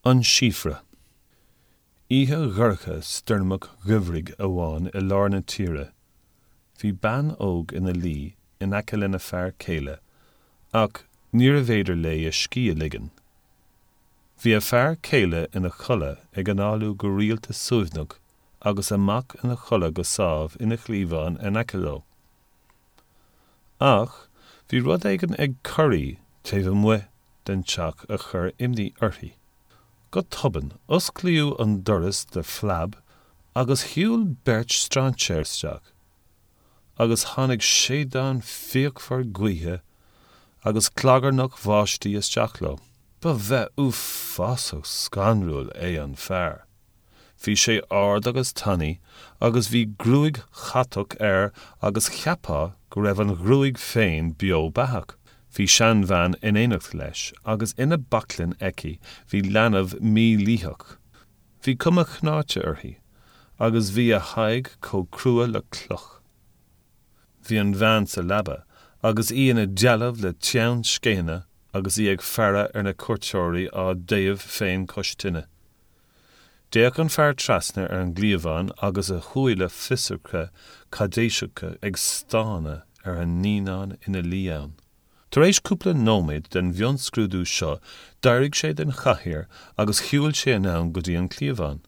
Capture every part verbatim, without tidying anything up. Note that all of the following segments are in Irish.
An Síofra. Oíche dhorcha stoirmeach gheimhridh amháin i lár na tíre, bhí bean óg ina luí in aice lena fear céile, ach níorbh fhéidir léi a scíth a ligean. Bhí a fear céile ina chodladh ag análú go rialta suaimhneach agus a mac ina chodladh go sámh ina chliabhán in aice leo. Ach bhí rud éigin ag corraí taobh amuigh den teach a chuir imní uirthi. Go tobann, osclaíodh an doras de phlab agus shiúil beirt strainséir isteach, agus tháinig séideán fíochmhar gaoithe agus clagarnach bháistí isteach leo. Ba bheith uafásach scanrúil é an fear. Bhí sé ard agus tanaí agus bhí gruaig chatach air agus cheapfá go raibh an ghruaig féin beo beathach. Bhí seanbhean in éineacht leis agus ina baclainn aici bhí leanbh mílítheach. Bhí cuma chnáite uirthi, agus bhí a haghaidh chomh crua le cloch. Bhí an bhean sa leaba agus í ina dealbh le teann scéine agus í ag faire ar na cuairteoirí á dtéamh féin cois tine. D'fhéach an fear trasna ar an gcliabhán agus a shúile fiosracha caidéiseacha ag stánadh ar an naíonán ina luí ann. Tar éis cúpla nóiméad den mhionscrúdú seo, d'éirigh sé den chathaoir agus shiúil sé anonn go dtí an cliabhán.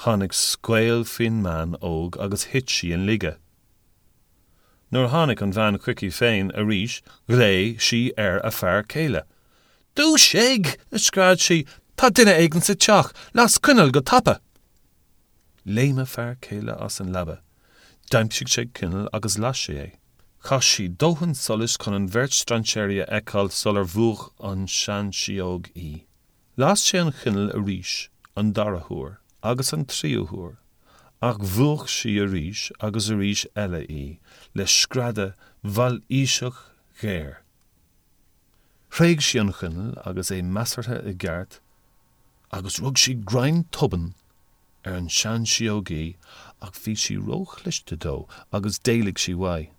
Tháinig scaoll faoin mbean óg agus thit sí in laige. Nuair a tháinig an bhean chuici féin arís, ghlaoigh sí ar a fear céile. "Dúisigh!" a scread sí, "tá duine éigin sa teach! Las coinneal go tapa!" Léim a fear céile as an leaba. D'aimsigh sé coinneal agus las sé é. Chaith sí dóthain solais chun an bheirt strainséirí a fheiceáil sular mhúch an tsean-sidheog í. Las sé an choinneal arís an dara huair agus an tríú huair, ach mhúch sí arís agus arís eile í le screadadh mhailíseach ghéar. Thréig sí an choinneal agus é measartha i gceart agus rug sí greim tobann ar an sean-sidheogaí ach bhí sí róchliste dó agus d'éalaigh sí uaidh.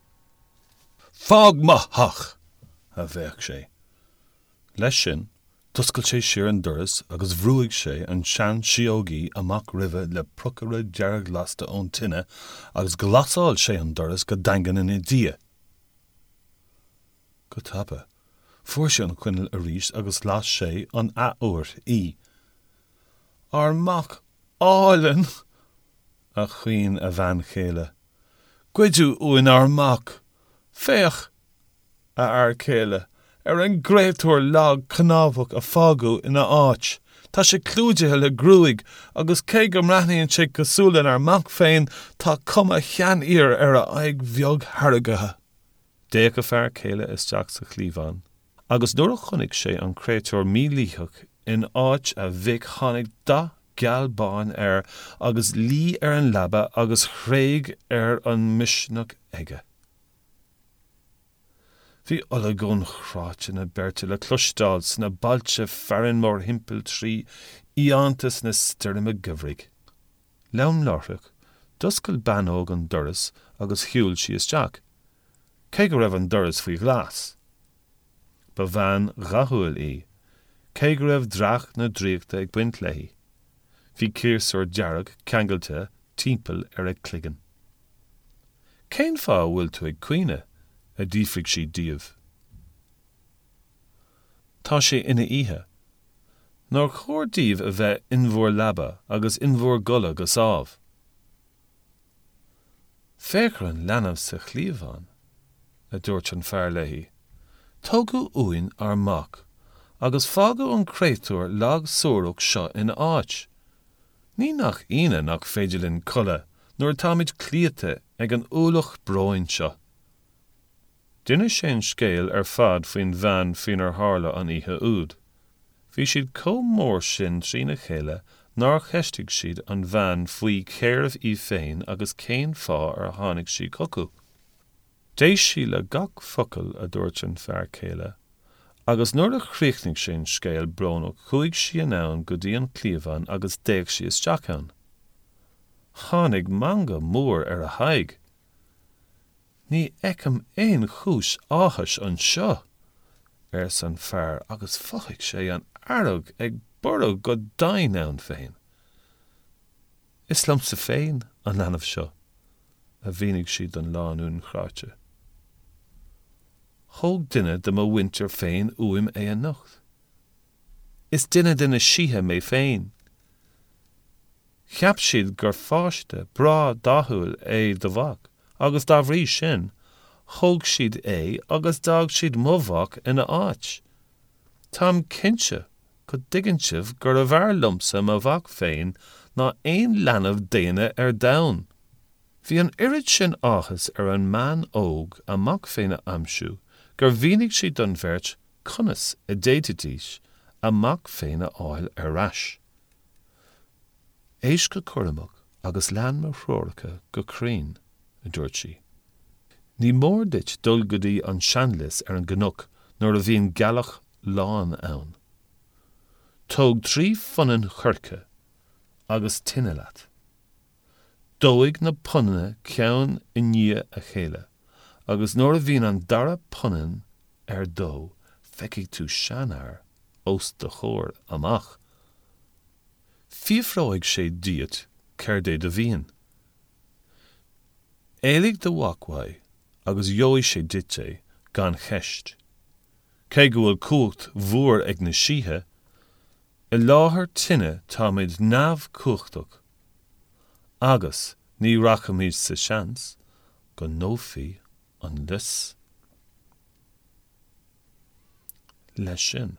"Fág mo theach!" a bhéic sé. Leis sin, d'oscail sé siar an doras agus bhrúigh sé an sean-sidheogaí amach roimhe le pocaire dearglasta ón tine agus ghlasáil sé an doras go daingean ina diaidh. Go tapa, fuair sé an choinneal arís agus las sé an athuair í. "Ár mac álainn!" a chaoin a bhean chéile. "Goideadh uainn ár mac! Féach, a fhear céile, ar an gcréatúr lag cnámhach a fágadh ina áit. Tá sé clúdaithe le gruaig agus cé go mbreathnaíonn sé cosúil lenár mac féin, tá cuma sheanfhir ar a aghaidh bheag tharraingthe." D'fhéach a fear céile isteach sa chliabhán, agus nuair a chonaic sé an créatúr mílítheach in áit a mhic tháinig dath geal bán air agus luigh ar an leaba agus thréig ar an misneach aige. Bhí olagón chráite na beirte le cloisteáil sna bailte fearainn mórthimpeall trí fhiántas na stoirme geimhridh. Lom láithreach, d'oscail bean óg an doras agus shiúil sí isteach, cé go raibh an doras faoi ghlas. Ba bhean dhathúil í, cé go raibh dreach na draíochta ag baint léi. Bhí ciarsúr dearg ceangailte timpeall ar a cloigeann. "Cén fáth a bhfuil tú ag caoineadh?" a d'fhiafraigh sí díobh. "Tá sé ina oíche. Nár chóir daoibh a bheith in bhur leaba agus in bhur gcodladh go sámh?" "Féach ar an leanbh sa chliabhán," a dúirt an fear léi. "Tógadh uainn ár mac agus fágadh an créatúr lag suarach seo ina áit. Ní nach ionadh nach féidir linn codladh nuair atáimid cloíte ag an ualach bróin seo." D'inis sé an scéal ar fad faoin bhean faoinar tharla an oíche úd. Bhí siad chomh mór sin trína chéile nár cheistigh siad an bhean faoi cérbh í féin agus cén fáth ar tháinig sí chucu. D'éist sí le gach focal a dúirt an fear céile, agus nuair a chríochnaigh sé an scéal brónach chuaigh sí anonn go dtí an cliabhán agus d'fhéach sí isteach ann. Tháinig meangadh mór ar a haghaidh. "Ní fheicim aon chúis áthais anseo," arsa an fear agus mhothaigh sé an fhearg ag borradh go domhain ann féin. Is liomsa féin an leanbh seo, a mhínigh sí don lánúin chráite. Thóg duine de mo mhuintir féin uaim é anocht. Is duine de na síthe mé féin. Cheap siad gur pháiste breá dathúil é do mhac, agus dá bhrí sin, thóg siad é agus d'fhág siad mo mhac ina áit. Táim cinnte go dtuigeann sibh gurbh fhearr liomsa mo mhac féin ná aon leanbh daonna ar domhan. Bhí an oiread sin áthas ar an mbean óg a mac féin a aimsiú gur mhínigh sí don bheirt conas a d'fhéadfaidís a mac féin a fháil ar ais. Éist go cúramach agus lean mo threoracha go cruinn, a dúirt sí. Ní mór duit dul go dtí an seanlios ar an gcnoc nuair a bhíonn gealach lán ann. Tóg trí phunann choirce agus tine leat. Dóigh na punanna ceann i ndiaidh a chéile, agus nuair a bhíonn an dara punann ar dó feicfidh tú seanfhear os do chomhair amach. Fiafróidh sé díot céard é do mhian. Éiligh do mhac uaidh agus gheobhaidh sé duit é gan cheist. Cé go bhfuil cumhacht mhór ag na síthe, i láthair tine táimid neamhchumhachtach, agus ní rachaimid sa seans go ndófaí an lios. Leis sin,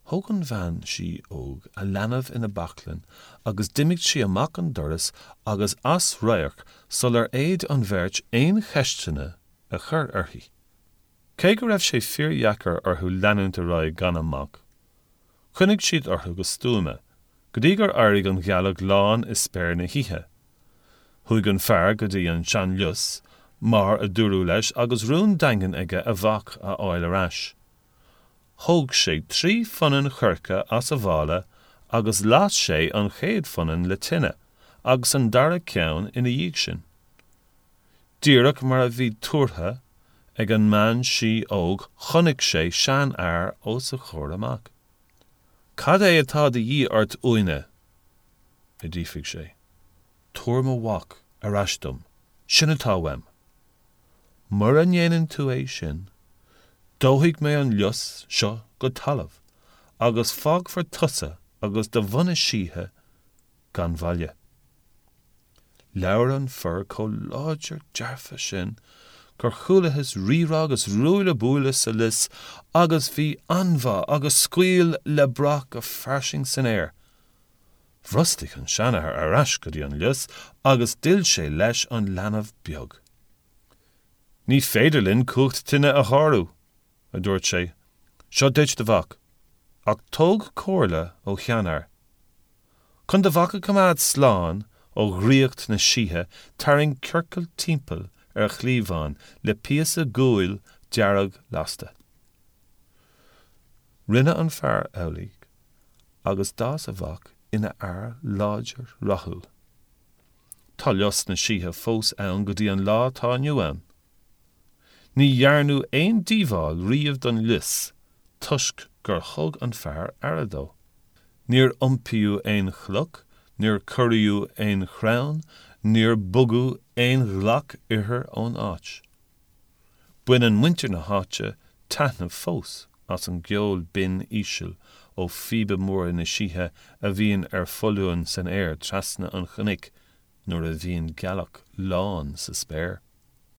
thóg an bhean sí óg a leanbh ina baclainn agus d'imigh sí amach an doras agus as radharc sular fhéad an bheirt aon cheisteanna a chur uirthi. Cé go raibh sé fíordheacair orthu leanúint ar aghaidh gan a mac, choinnigh siad orthu go stuama, go dtí gur éirigh an ghealach lán i spéir na hoíche. Chuaigh an fear go dtí an seanlios, mar a dúradh leis agus rún daingean aige a mhac a fháil ar ais. Thóg sé trí phunann choirce as a mhála agus las sé an chéad phunann le tine, agus an dara ceann ina dhiaidh sin. Díreach mar a bhí tuartha ag an mbean sí óg chonaic sé seanfhear os a chomhair amach. Cad é atá de dhíth ort uainne? a d'fhiafraigh sé. Tabhair mo mhac ar ais dom, sin atá uaim. Mura ndéanann tú é sin, dófaidh mé an lios seo go talamh, agus fágfar tusa agus do bhunadh síthe gan bhaile. Labhair an fear chomh láidir dearfa sin gur chualathas rírá agus ruaille buaille sa lios agus bhí anbhá agus scaoll le brath go fairsing san aer. Bhrostaigh an seanfhear ar ais go dtí an lios agus d'fhill sé leis an leanbh beag. Ní féidir linn cumhacht tine a shárú, a dúirt sé, seo duit do mhac, ach tóg comhairle ó sheanfhear. Chun do mhac a choimeád slán ó dhraíocht na síthe tarraing ciorcal timpeall ar a chliabhán le píosa guail dearg lasta. Rinne an fear amhlaidh agus d'fhás a mhac ina fhear láidir rathúil. Tá lios na síthe fós ann go dtí an lá atá inniu ann. Ní dhearnadh aon díobháil riamh don lios toisc gur thug an fear aire dó. Níor iompaíodh aon chloch, níor corraíodh aon chrann, níor bogadh aon ghlac ithir ón áit. Baineann muintir na háite taitneamh fós as an gceol binn íseal ó phíoba móra na síthe a bhíonn ar foluain san aer trasna an chnoic nuair a bhíonn gealach lán sa spéir.